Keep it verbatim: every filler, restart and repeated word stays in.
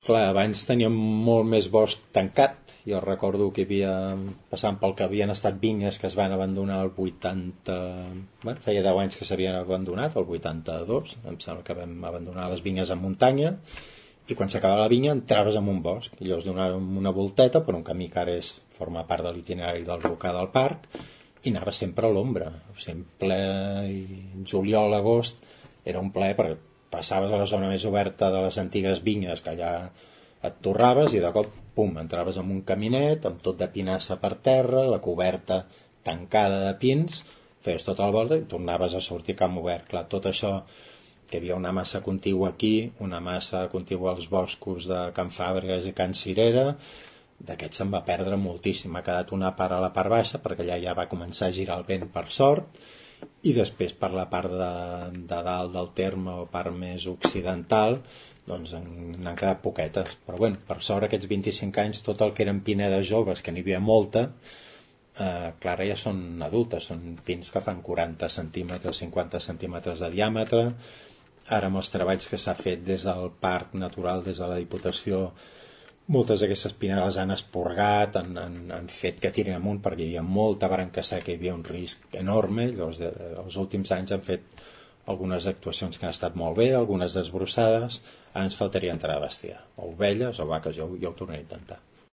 Clar, abans teníem molt més bosc tancat. Jo recordo que hi havia, passant pel que havien estat vinyes que es van abandonar el vuitanta... Bueno, feia deu anys que s'havien abandonat, el vuitanta-dos, em sembla que vam abandonar les vinyes en muntanya, i quan s'acabava la vinya entraves en un bosc, i llavors donàvem una volteta per un camí que ara és, forma part de l'itinerari del Rocar del Parc, i anava sempre a l'ombra, sempre i juliol, agost, era un plaer perquè passaves a la zona més oberta de les antigues vinyes, que allà et torraves i de cop, pum, entraves en un caminet amb tot de pinassa per terra, la coberta tancada de pins, feies tota la volta i tornaves a sortir a camp obert. Clar, tot això, que hi havia una massa contigua aquí, una massa contigua als boscos de Can Fàbregas i Can Cirera, d'aquest se'n va perdre moltíssim. Ha quedat una part a la part baixa, perquè allà ja va començar a girar el vent per sort, i després per la part de, de dalt del terme o part més occidental doncs n'han quedat poquetes, però bueno, per sort aquests vint-i-cinc anys tot el que eren pinedes joves, que n'hi havia molta, eh, clar, ja són adultes, són pins que fan quaranta centímetres, cinquanta centímetres de diàmetre. Ara amb els treballs que s'ha fet des del Parc Natural, des de la Diputació, moltes d'aquestes pinedes han esporgat, han, han, han fet que tirin amunt perquè hi havia molta branca seca, hi havia un risc enorme. Llavors, de, els últims anys han fet algunes actuacions que han estat molt bé, algunes desbrossades. Ara ens faltaria entrar a bestiar, o ovelles o vaques, jo, jo ho tornaré a intentar.